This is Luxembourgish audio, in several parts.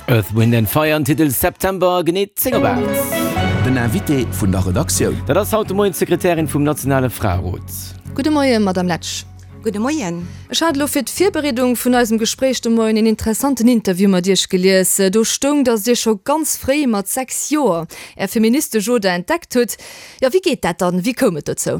Earth, Wind and Fire an Titel September, genee 10 op 8. Den Invité vun der Redaktioun. Dat ass haut de Moien d'Sekretärin vum nationale Fraerot. Gudde Moien, Madame Letsch. Gudde Moien. Ech hat elo fir d'Virbereedung vun eisem Gespréich de Moien een interessanten Interview mat Iech gelies. Do stoung, datt Dir scho ganz fréi, mat 6 Joer, Är feministesch Oder entdeckt hutt. Jo, wéi geet dat dann? Wéi koum et dozou?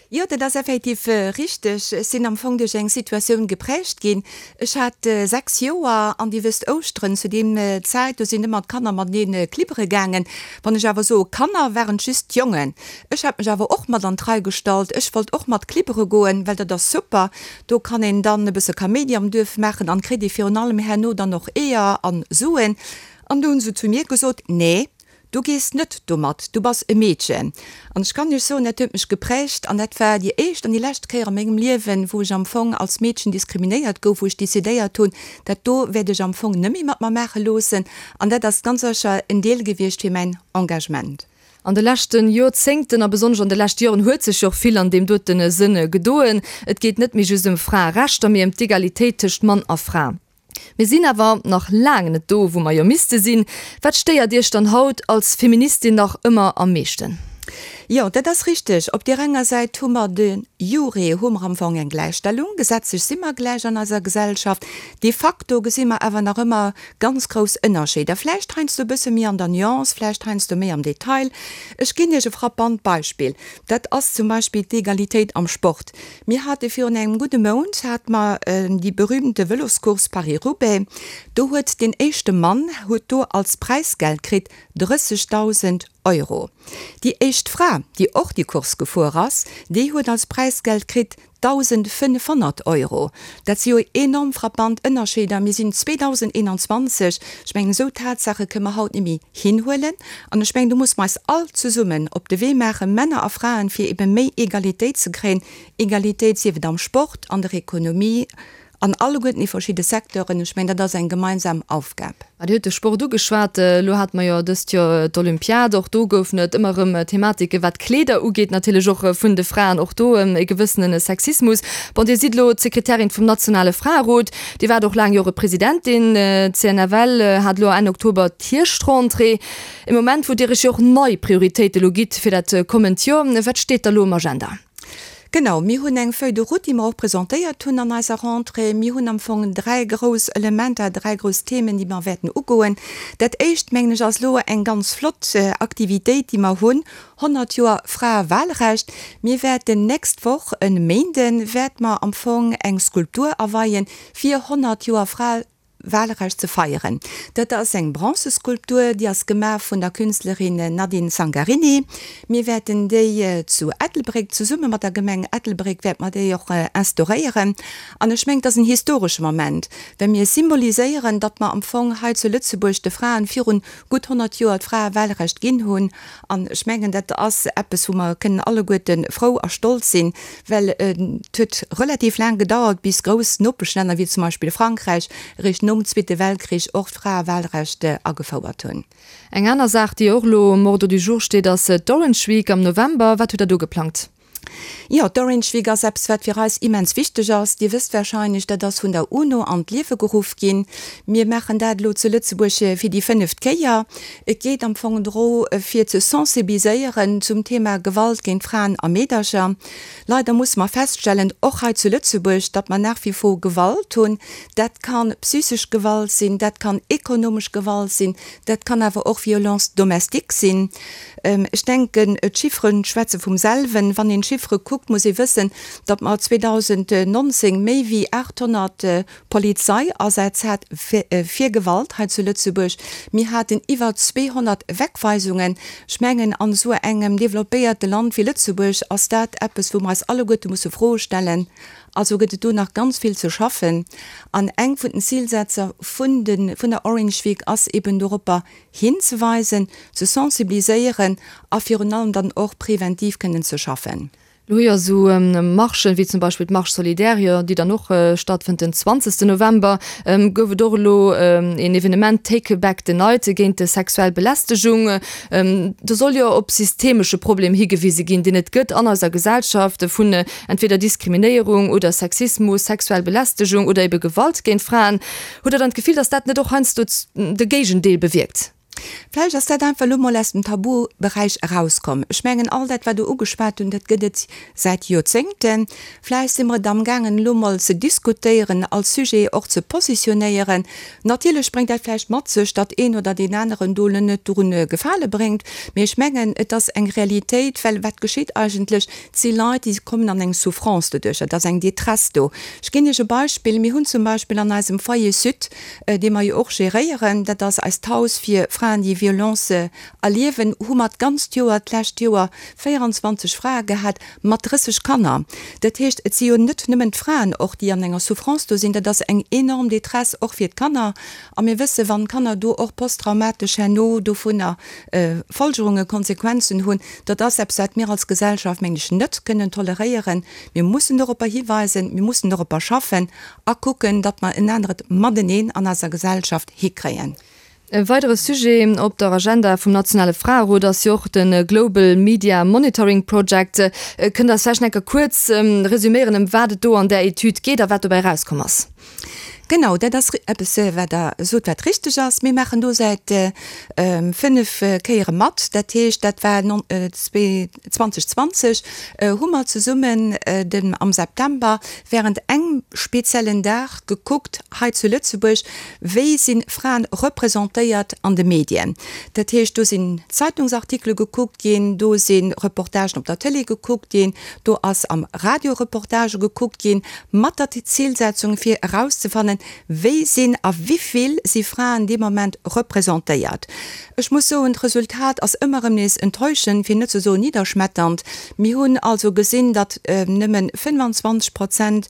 Jo, dat ass effektiv richteg. Ech sinn am Fong duerch eng Situatioun geprägt ginn. Ech hat 6 Joer an Dir wësst, Ouschteren, zu deem Zäit, do sinn ëmmer d'Kanner matenee klibbere gaangen. Wann ech awer soe Kanner, waren et just d'Jongen. Ech hat mech awer och mat an d'Rei gestallt. Ech wollt och mat klibbere goen, well dat ass super. Do kann een dann e bësse Kaméidi am Duerf maachen an kritt ee virun allem herno dann och Eeër an Suen. An do hunn se zu mir gesot, Nee, Du gees net domat, du bass e Meedchen. An ech kann Iech soen, dat huet mech geprägt an dat war déi éischt an déi lescht Kéier a mengem Liewen, wou ech am Fong als Meedchen diskriminéiert gouf, wou ech decidéiert hunn, dat do wäert ech am Fong net méi mat mer maache loossen. An dat ass ganz sécher en Deel gewiescht fir mäin Engagement. An de leschte Joerzéngten a besonnesch an de leschte Joren huet sech jo och vill an deem dote Sënn gedoen. Et geet net méi just ëm Fraerechter, mee ëm d'Egalitéit tëscht Mann a Fra. Mir sinn awer nach laang net do, wou mer jo misste sinn. Wat stéiert Iech dann haut als Feministin nach ëmmer am meeschten? Jo, dat ass richteg. Op deer enger Säit hu mer de jure hu mer am Fong eng Gläichstellung. Gesetzlech si mer gläich an eiser Gesellschaft. De facto gesi mer awer nach ëmmer ganz grouss Ënnerscheeder. Vläicht heiansdo e bësse méi an der Nuance, vläicht heiansdo méi am Detail. Ech ginn Iech e frappant Beispill. Dat ass zum Beispill d'Egalitéit am Sport. Mir hate virun engem gudde Mount hate mer déi berühmte Vëloscourse Paris-Roubaix. Do huet deen éischte Mann huet do als Präisgeld kritt 30.000 Euro. Déi éischt Fra, déi och déi Course gefuer ass, déi huet als Präisgeld kritt 1.500 Euro. Dat si jo enorm frappant Ënnerscheeder. Mir sinn 2021. Ech mengen, esou Tatsaache kënne mer haut net méi hinhuelen. An ech mengen, do musse mer eis all zesummen op de Wee maachen, Männer a Fraen, fir ebe méi Egalitéit ze kréien. Egalitéit, sief et am Sport, an der Ekonomie, an alleguerten déi verschidde Secteuren. Ech mengen, dat ass eng gemeinsam Aufgab. Dir hutt de Sport ugeschwat. Elo hate mer jo dëst Joer d'Olympiad. Och do goufen et ëmmer erëm Thematike wat d'Kleeder ugeet, natierlech och vun de Fraen. Och do e gewëssene Sexismus. Bon, Dir sidd elo d'Sekretärin vum nationale Fraerot. Dir waart och laang Jore Presidentin. D'CNFL hat elo Enn Oktober d'Hierschtentrée. E Moment, wou Dir Iech jo och nei Prioritéite elo gitt fir dat kommend Joer. Wat steet da elo um Agenda? Genau, mir hunn eng Feuille de route, déi mer och presentéiert hunn an eiser Rentrée. Mir hunn am Fong dräi grouss Elementer, dräi grouss Themen, déi mer wäerten ugoen. Dat éischt, mengen ech, ass elo eng ganz flott Aktivitéit, déi mer hunn, 100 Joer Fraewahlrecht. Mir wäerten nächst Woch e Méinden, wäerte mer am Fong eng Skulptur aweien, fir 100 Joer Fraewahlrecht ze feieren. Dat ass eng Bronzeskulptur, déi ass gemaach vun der Künstlerin Nadine Zangarini. Mir wäerten déi zu Ettelbréck, zesumme mat der Gemeng Ettelbréck, wäerte mer déi och instauréieren. An ech mengen, et ass en historesche Moment, well mir symboliséieren, datt mer am Fong hei zu Lëtzebuerg de Fraen virun gutt 100 Joer d'Fraewahlrecht ginn hunn. An ech mengen, dat ass eppes, wou mer kënnen alleguerte frou a stolz sinn, well et huet relativ laang gedauert, bis grouss Nopeschlänner wéi zum Beispill Frankräich eréischt nom Zweete Weltkrich och d'Fraewahlrecht agefouert hunn. Eng aner Saach, déi och elo um Ordre du jour steet, ass d'Orange Week am November. Wat hutt Der do geplangt? Jo, d'Orange Week ass eppes, wat fir eis immens wichteg ass. Dir wësst warscheinlech, dat ass vun der UNO an d'Liewe geruff ginn. Mir maachen dat elo zu Lëtzebuerg fir déi fënneft Kéier. Et geet am Fong dro fir ze sensibiliséieren zum Thema Gewalt géint Fraen a Meedercher. Leider musse mer feststellen, och hei zu Lëtzebuerg, datt mer nach wie vor Gewalt hunn. Dat ka psychesch Gewalt sinn, dat kann ekonomesch Gewalt sinn, dat kann awer och Violence domestique sinn. Ech denken, d'Chiffere schwätze vum selwen. Wann een d'Chiffere kuckt, muss ee wëssen, datt mer 2019 méi wéi 800 Polizeiasätz hat fir Gewalt hei zu Lëtzebuerg. Mir haten iwwer 200 Wegweisungen. Ech mengen, an esou engem developpéierte Land wéi Lëtzebuerg ass dat eppes, wou mer eis alleguerte musse Froe stellen. Also gëtt et do nach ganz vill ze schaffen. An eng vun den Zilsetzer vun der Orange Week ass eben doropper hinzeweisen, ze sensibiliséieren a virun allem dann och preventiv kënnen ze schaffen. Lo hu jo esou Marchen, wéi zum Beispill d'Marche solidaire, jo, déi dann och stattfënnt den 20. November, gouf et och elo een Evenement Take Back the Night géint sexuell Belästegung. Do soll jo op systemesche Problem higewise ginn, deen et gëtt an eiser Gesellschaft vun entweder Diskriminéierung oder Sexismus, sexuell Belästegung oder ebe Gewalt géint Fraen. Hutt Der dann d'Gefill, datt dat net och heiansdo de Géigendeel bewierkt? Vläicht ass dat einfach elo mol aus dem Tabuberäich erauskomm. Ech mengen, all dat, wat Der ugeschwat hunn, dat gëtt et säit Joerzéngten. Vläicht si mer et amgaangen, elo mol ze diskutéieren, als Sujet och ze positionéieren. Natierlech bréngt dat vläicht mat sech, datt een oder deen aneren do elo net drun Gefale bréngt. Mee ech mengen, et ass eng Realitéit, well wat geschitt eigentlech? Et si Leit, déi kommen an eng Souffrance doduercher, et ass eng Détresse do. Ech ginn Iech e Beispill, Mir hunn zum Beispill an eisem Foyer Sud, dee mer jo och geréieren, dat ass eist Haus fir Fraen, déi Violence erliewen, hu mer d'ganzt Joer, d'lescht Joer 24 Frae gehat mat 30 Kanner. Dat heescht, et si jo net nëmmen d'Fraen och, déi an enger Souffrance do sinn, dat ass eng enorm Détresse och fir d'Kanner. A mir wëssen, wann d'Kanner do och posttraumatesch herno dovunner Folgerungen, Konsequenzen hunn, dat ass eppes, wat mir als Gesellschaft, mengen ech, net kënnen toleréieren. Mir mussen doropper hiweisen, mir mussen doropper schaffen a kucken, datt mer en aneret Mateneen an eiser Gesellschaft hikréien. E weidere Sujet op der Agenda vum nationale Fraerot ass jo och de Global Media Monitoring Project. Kënnt Der eis vläicht nach eng Kéier kuerz resüméieren, ëm wat et do an där Etüd geet a wat dobäi erauskomm ass? Genau, dat ass eppes, wat Der sot, wat richteg ass. Mir maachen do säit 5 Kéiere mat. Dat heescht, dat war 2020 hu mer zesummen den am September während engem speziellen Dag gekuckt hei zu Lëtzebuerg, wéi si Fraen representéiert an de Medien. Dat heescht, do sinn Zeitungsartikele gekuckt ginn, do si Reportagen op der Tëlee gekuckt ginn, do ass am Radio Reportagë gekuckt ginn, mat der Zilsetzung fir erauszefannen, wéi sinn a wivill si Fraen dee Moment representéiert. Ech muss soen, d'Resultat ass ëmmer erëm nees enttäuschend, fir net ze soen nidderschmetternd. Mir hunn also gesinn, datt nëmme 25 Prozent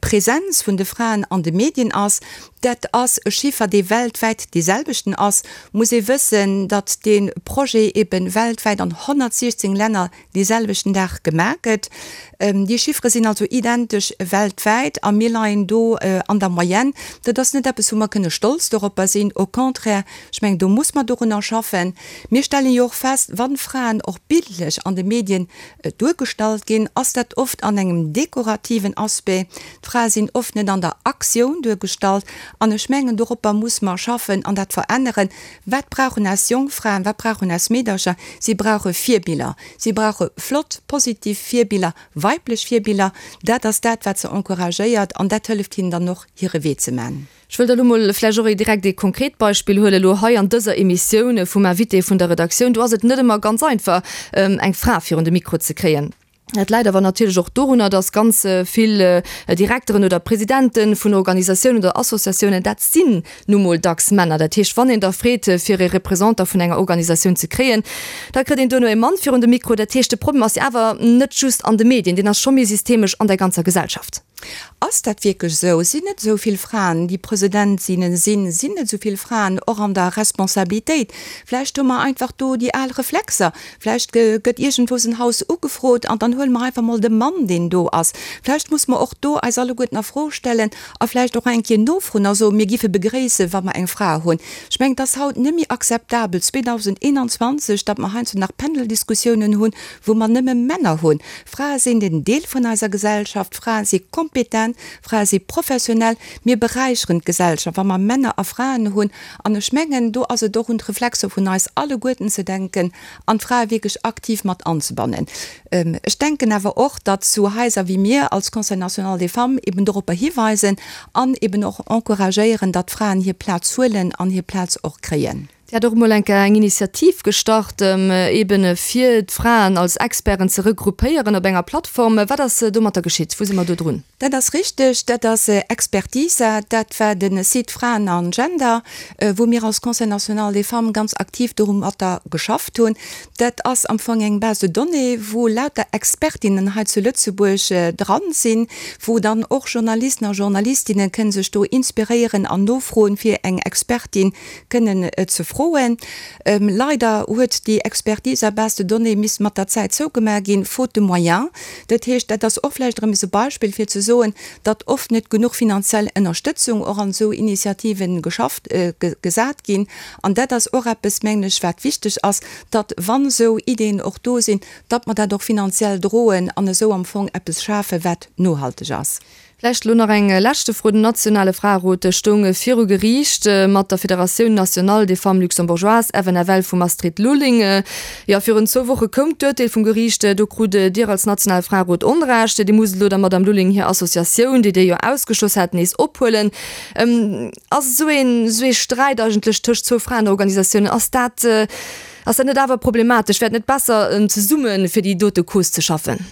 Presenz vun de Fraen an de Medien ass. Dat ass e Chiffer, dee weltwäit dee selwechten ass. Muss ee wëssen, datt dee Projet ebe weltwäit an 116 Länner dee selwechten Dag gemaach gëtt. Déi Chiffere sinn also identesch weltwäit a mir leien do an der Moyenne. Dat ass net eppes, wou mer kënne stolz doropper sinn, au contraire, ech mengen, do muss mer dorunner schaffen. Mir stellen jo och fest, wann Fraen och bildlech an de Medien duergestallt ginn, ass dat oft an engem dekorativen Aspect. D'Frae sinn oft net an der Aktioun duergestallt an ech mengen, doropper muss mer schaffen an dat veränneren. Wat brauchen eis jonk Fraen, wat brauchen eis Meedercher? Si brauche Virbiller. Si brauche flott, positiv Virbiller, weiblech Virbiller. Dat ass dat, wat se encouragéiert an dat hëlleft hinnen dann och, hire Wee ze man. Ech wëll da lo mol vläicht och direkt ee konkret Beispill huelen, elo hei an dëser Emissioun vum Invité vun der Redaktioun. Do ass et net ëmmer ganz einfach, eng Fra virun de Mikro ze kréien. Dat läit awer natierlech och dorunner, dass ganz vill Direkteren oder Presidente vun Organisatiounen oder Associatiounen, dat sinn nu mol dacks Männer. Dat heescht, wann een da freet, fir ee Représentant vun enger Organisatioun ze kréien, da kritt een duerno ee Mann virun de Mikro. Dat heescht, de Problem ass jo awer net just an de Medien, deen ass scho méi systemesch an der ganzer Gesellschaft. Ass dat wierklech esou? Sinn net esou vill Fraen, déi Presidentinnen sinn? Sinn net esou vill Fraen och an der Responsabilitéit? Vläicht hu mer einfach do déi al Reflexer. Vläicht gëtt iergendwou en Haus ugefrot an dann huele mer einfach mol de Mann, deen do ass. Vläicht muss mer och do eis alleguerten a Fro stellen a vläicht och eng Kéier nofroen a soen, mir giffe begréissen, wa mer eng Fra hunn. Ech mengen, et ass haut net méi akzeptabel, 2021, datt mer heiansdo nach Paneldiskussiounen hunn, wou mer nëmme Männer hunn. Frae sinn en Deel vun eiser Gesellschaft, Frae si kompetent, Frae si professionell. Mir beräicheren d'Gesellschaft, wa mer Männer a Fraen hunn. An ech mengen, do ass et och un d'Reflexer vun eis alleguerten ze denken an d'Frae wierklech aktiv mat anzebannen. Ech denken awer och, datt sou Haiser wéi mir als Conseil national des femmes eben doropper hiweisen an eben och encouragéieren, datt d'Fraen hir Plaz huelen an hir Plaz och kréien. Dir hat och emol eng Kéier eng Initiativ gestart, eben fir d'Fraen als Experten ze regroupéieren op enger Plattform. Wat ass domatter geschitt? Wou si mer do drun? Dat ass richteg. Dat ass Expertisa. Dat war de Site Fraen an Gender, wou mir als Conseil national des femmes ganz aktiv dorumatter geschafft hunn. Dat ass am Fong eng Base de données, wou lauter Expertinnen hei zu Lëtzebuerg dran sinn, wou dann och Journalisten a Journalistinne kënne sech do inspiréieren an nofroen, fir eng Expertin kënnen ze froen. Froen. Leider huet déi Expertise à base de données misst mat der Zäit zougemaach ginn, faute de moyens. Dat heescht, dat ass och vläicht erëm esou e Beispill fir ze soen, datt oft net genuch finanziell Ënnerstëtzung och an esou Initiativen geschafft, gesat ginn. An dat ass och eppes, mengen ech, wat wichteg ass, datt, wann esou Ideeën och do sinn, datt mer dat och finanziell droen an esou am Fong eppes schafen, wat nohalteg ass. Vläicht elo nach eng leschte Fro, Den nationale Fraerot stoung viru Geriicht mat der Fédératioun nationale des femmes luxembourgeoises, FNFL, vum Astrid Lulling. Jo, virun zwou Woche koum d'Urteel vum Geriicht. Do krut Dir als nationale Fraerot Onrecht. Dir musst elo der Madame Lulling hir Associatioun, déi Dir jo ausgeschloss hat, nees ophuelen. Ass esou een, esou ee Sträit eigentlech tëscht zwou Fraenorganisatiounen, ass dat, ass dat net awer problematesch? Wär et net besser, zesumme fir déi dote Cause ze schaffen?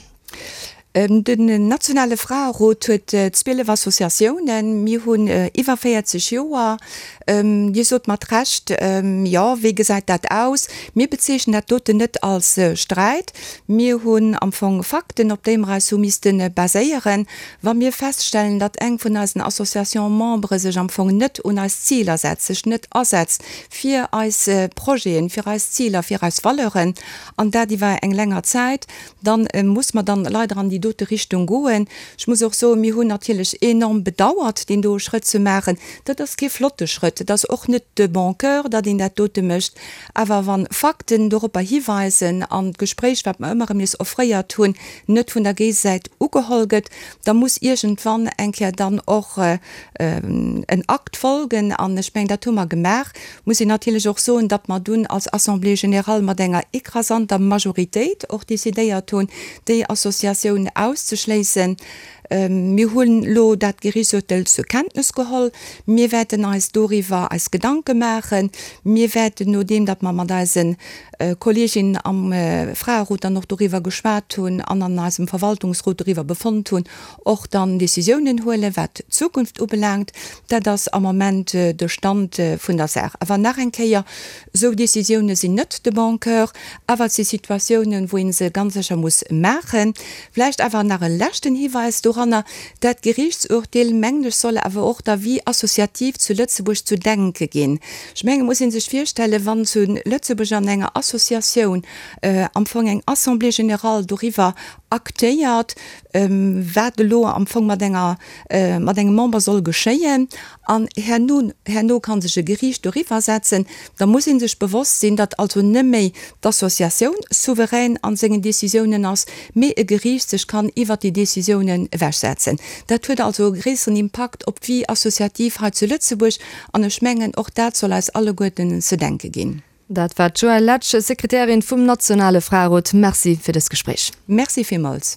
Den nationale Fraerot huet 12 Associatiounen. Mir hunn iwwer 40 Joer. Dir sot mat Recht, jo, wéi gesäit dat aus? Mir bezeechnen dat doten net als Sträit. Mir hunn am Fong Fakten, op déi mer eis hu misste baséieren. Wa mir feststellen, datt eng vun eisen Association-membere sech am Fong net un eis Ziler setzt, sech net asetzt fir eis Projeten, fir eis Ziler, fir eis Valeuren, an dat iwwer eng länger Zäit, dann muss mer dann leider an déi dote Richtung goen. Ech muss och soen, mir hunn natierlech enorm bedauert, deen doe Schrëtt ze maachen. Dat ass kee flotte Schrëtt, et ass och net de bon cœur, datt een dat dote mécht. Awer wa Fakten doropper hiweisen an d'Gespréich, wat mer ëmmer erëm nees offréiert hunn, net vun der Géigesäit ugeholl gëtt, da muss iergendwann eng Kéier dann och en Akt folgen. An ech mengen, dat hu mer gemaach. Muss een natierlech och soen, datt mer dunn als Assemblée générale mat enger écrasanter Majoritéit och décidéiert hunn, déi Associatioun auszeschléissen. Mir hunn elo dat Gerichtsurtel zur Kenntnes geholl. Mir wäerten eis doriwwer eis Gedanke maachen. Mir wäerten, nodeem datt mer mat eise Kolleeginnen am Fraerot dann och doriwwer geschwat hunn an an eisem Verwaltungsrot doriwwer befonnt hunn, och dann Décisiounen huelen, wat d'Zukunft ubelaangt. Dat ass am Moment de Stand vun der Saach. Awer nach eng Kéier, Esou Décisiounen sinn net de bon cœur, awer et si Situatiounen, wou ee se ganz sécher muss maachen. Vläicht awer nach e leschten Hiweis doranner, Dat Geriichtsurteel, mengen ech, soll awer och der Vie associative zu Lëtzebuerg zu denke ginn. Ech mengen, et muss ee sech virstellen, wann zu Lëtzebuerg an enger Associatioun am Fong eng Assemblée générale doriwwer aktéiert, wat elo am Fong mat enger, mat engem Member soll geschéien, an herno, herno ka sech e Geriicht doriwwer setzen, da muss ee sech bewosst sinn, datt also net méi d'Associatioun souverän a sengen Décisiounen ass, mee e Geriicht sech kann iwwert déi Décisiounen ewechsetzen. Dat huet also e gréisseren Impakt op d'Vie associative hei zu Lëtzebuerg, an ech mengen, och dat soll eis alleguerten ze denke ginn. Dat war d'Joëlle Letsch, Sekretärin vum nationale Fraerot. Merci fir dëst Gespréich. Merci villmools.